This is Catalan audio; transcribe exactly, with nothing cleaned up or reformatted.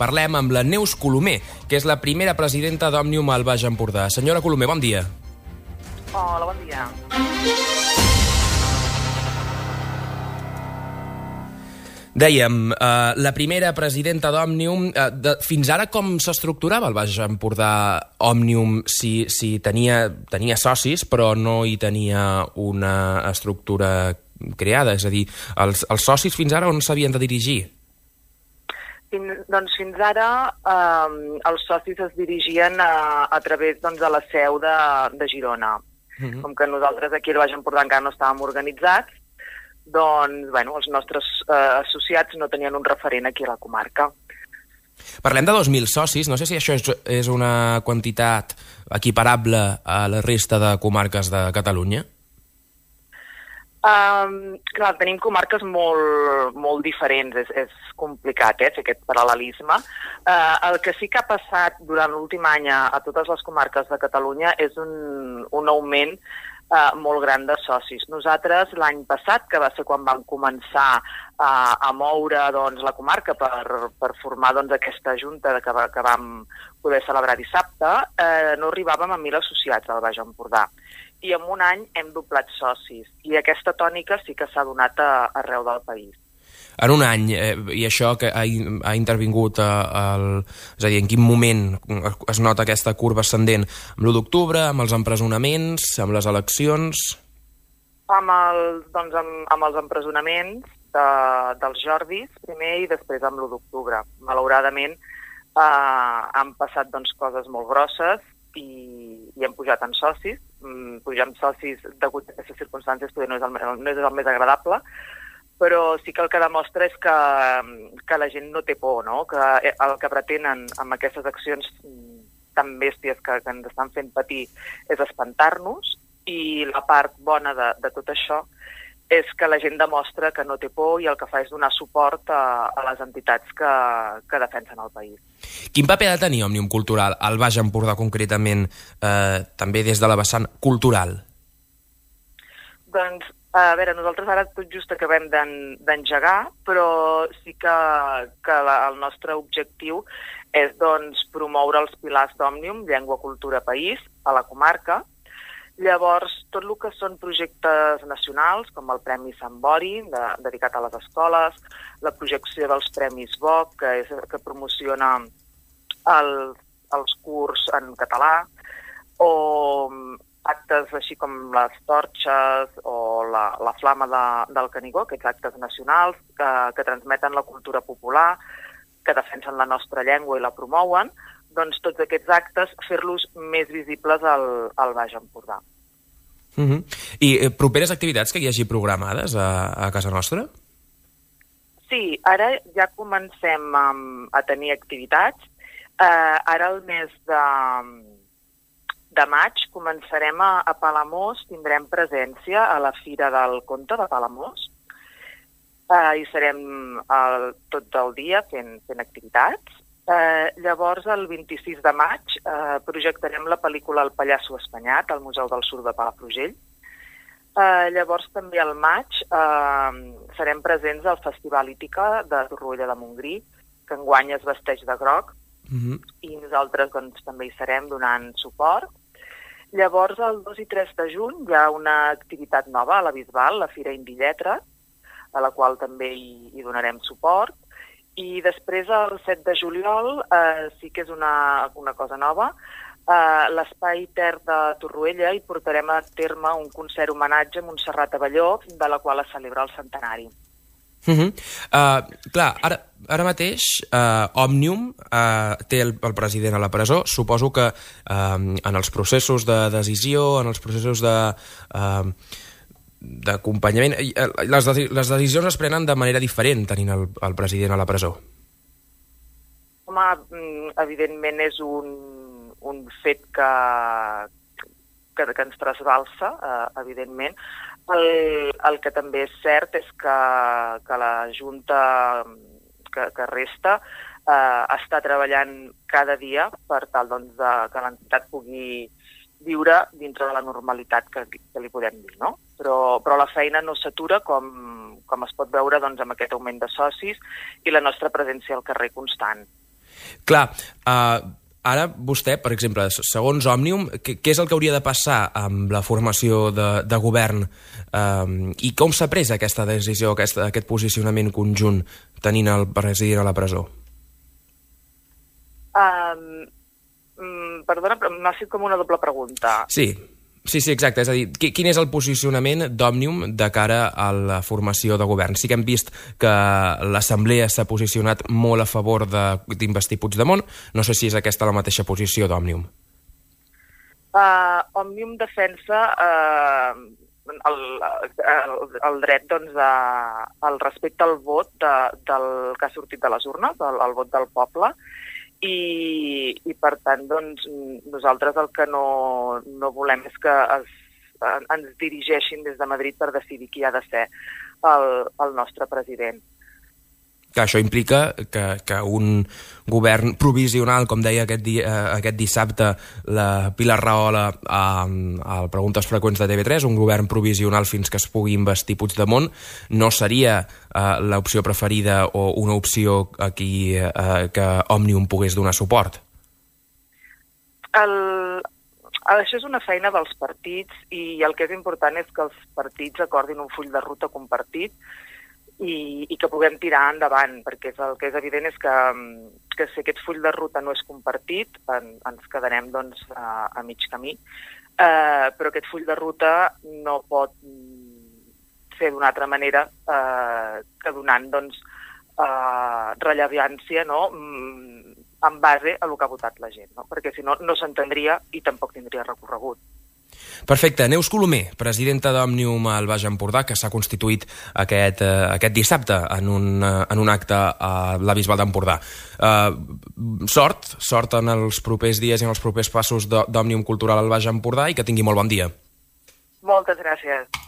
parlem amb la Neus Colomer, que és la primera presidenta d'Òmnium al Baix Empordà. Senyora Colomer, bon dia. Hola, bon dia. Dèiem, eh, la primera presidenta d'Òmnium, eh, fins ara com s'estructurava el Baix Empordà Òmnium si, si tenia, tenia socis però no hi tenia una estructura creada? És a dir, els, els socis fins ara on s'havien de dirigir? Fins, doncs fins ara eh, els socis es dirigien a, a través doncs, de la seu de, de Girona. Mm-hmm. Com que nosaltres aquí al Baix Empordà encara no estàvem organitzats, doncs, bueno, els nostres eh, associats no tenien un referent aquí a la comarca. Parlem de dos mil socis, no sé si això és, és una quantitat equiparable a la resta de comarques de Catalunya? Um, clar, tenim comarques molt, molt diferents, és, és complicat eh, fer aquest paral·lelisme. Uh, el que sí que ha passat durant l'últim any a, a totes les comarques de Catalunya és un, un augment Uh, molt gran de socis. Nosaltres l'any passat, que va ser quan vam començar uh, a moure doncs, la comarca per, per formar doncs, aquesta junta que, va, que vam poder celebrar dissabte, uh, no arribàvem a mil associats al Baix Empordà. I en un any hem doblat socis. I aquesta tònica sí que s'ha donat a, arreu del país. En un any, eh, i això que ha, ha intervingut eh, el, és a dir, en quin moment es nota aquesta curva ascendent? Amb l'u d'octubre, amb els empresonaments, amb les eleccions? Amb, el, doncs, amb, amb els empresonaments de, dels Jordis, primer, i després amb l'u d'octubre. Malauradament, eh, han passat doncs, coses molt grosses i, i hem pujat en socis. Mm, pujar en socis degut a aquestes circumstàncies no és el, no és el més agradable, però sí que el que demostra és que, que la gent no té por, no? Que el que pretenen amb aquestes accions tan bèsties que, que ens estan fent patir és espantar-nos, i la part bona de, de tot això és que la gent demostra que no té por i el que fa és donar suport a, a les entitats que, que defensen el país. Quin paper ha de tenir Òmnium Cultural al Baix Empordà concretament, eh, també des de la vessant cultural? Doncs a veure, nosaltres ara tot just acabem d'engegar, però sí que, que la, el nostre objectiu és doncs, promoure els pilars d'Òmnium, llengua, cultura, país, a la comarca. Llavors, tot el que són projectes nacionals, com el Premi Sant Bori, de, dedicat a les escoles, la projecció dels Premis B O C, que, és, que promociona el, els curs en català, o actes així com les torxes o la, la flama de, del Canigó, aquests actes nacionals que, que transmeten la cultura popular, que defensen la nostra llengua i la promouen, doncs tots aquests actes fer-los més visibles al, al Baix Empordà. Uh-huh. I eh, properes activitats que hi hagi programades a, a casa nostra? Sí, ara ja comencem a, a tenir activitats. Eh, ara el mes de... de maig començarem a, a Palamós, tindrem presència a la Fira del Conte de Palamós. Eh, hi serem el, tot el dia fent, fent activitats. Eh, llavors, el vint-i-sis de maig, eh, projectarem la pel·lícula El Pallasso Espanyat al Museu del Sur de Palafrugell. Eh, llavors, també al maig, eh, serem presents al Festival Ítica de Torroella de Montgrí, que enguany es vesteix de groc, uh-huh. i nosaltres doncs, també hi serem donant suport. Llavors, el dos i tres de juny hi ha una activitat nova a la Bisbal, la Fira Indi Lletres, a la qual també hi, hi donarem suport. I després, el set de juliol, eh, sí que és una, una cosa nova, eh, l'Espai Ter de Torroella hi portarem a terme un concert homenatge a Montserrat Abelló, de la qual es celebra el centenari. Uh -huh. uh, clar, ara, ara mateix uh, Òmnium uh, té el, el president a la presó. Suposo que uh, en els processos de decisió, en els processos de uh, d'acompanyament, les, les decisions es prenen de manera diferent tenint el, el president a la presó. Home, evidentment és un, un fet que, que, que ens trasbalsa, eh, evidentment. El, el que també és cert és que, que la Junta que, que resta eh, està treballant cada dia per tal doncs, de, que l'entitat pugui viure dintre de la normalitat que, que li podem dir, no? Però, però la feina no s'atura, com, com es pot veure doncs, amb aquest augment de socis i la nostra presència al carrer constant. Clar, uh, ara vostè, per exemple, segons Òmnium, què, què és el que hauria de passar amb la formació de, de govern um, i com s'ha pres aquesta decisió, aquest, aquest posicionament conjunt tenint el president a la presó? Um, um, perdona, però m'ha fet com una doble pregunta. Sí, sí, sí, exacte. És a dir, quin és el posicionament d'Òmnium de cara a la formació de govern? Sí que hem vist que l'Assemblea s'ha posicionat molt a favor d'investir Puigdemont. No sé si és aquesta la mateixa posició d'Òmnium. Uh, Òmnium defensa uh, el, el, el dret doncs, a, al respecte al vot de, del que ha sortit de les urnes, el, el vot del poble, I, i per tant doncs, nosaltres el que no, no volem és que es, ens dirigeixin des de Madrid per decidir qui ha de ser el, el nostre president. Que això implica que, que un govern provisional, com deia aquest, dia, aquest dissabte la Pilar Rahola a, a Preguntes Freqüents de T V tres, un govern provisional fins que es pugui investir Puigdemont, no seria uh, l'opció preferida o una opció a qui uh, que Òmnium pogués donar suport? El, això és una feina dels partits i el que és important és que els partits acordin un full de ruta compartit I, i que puguem tirar endavant, perquè és el que és evident és que, que si aquest full de ruta no és compartit, en, ens quedarem doncs, a, a mig camí, eh, però aquest full de ruta no pot ser d'una altra manera eh, que donant doncs, eh, rellevància no? en base a el que ha votat la gent, no? Perquè si no, no s'entendria i tampoc tindria recorregut. Perfecte. Neus Colomer, presidenta d'Òmnium al Baix Empordà, que s'ha constituït aquest, eh, aquest dissabte en un, eh, en un acte a la Bisbal d'Empordà. Eh, sort, sort en els propers dies i en els propers passos d'Òmnium Cultural al Baix Empordà i que tingui molt bon dia. Moltes gràcies.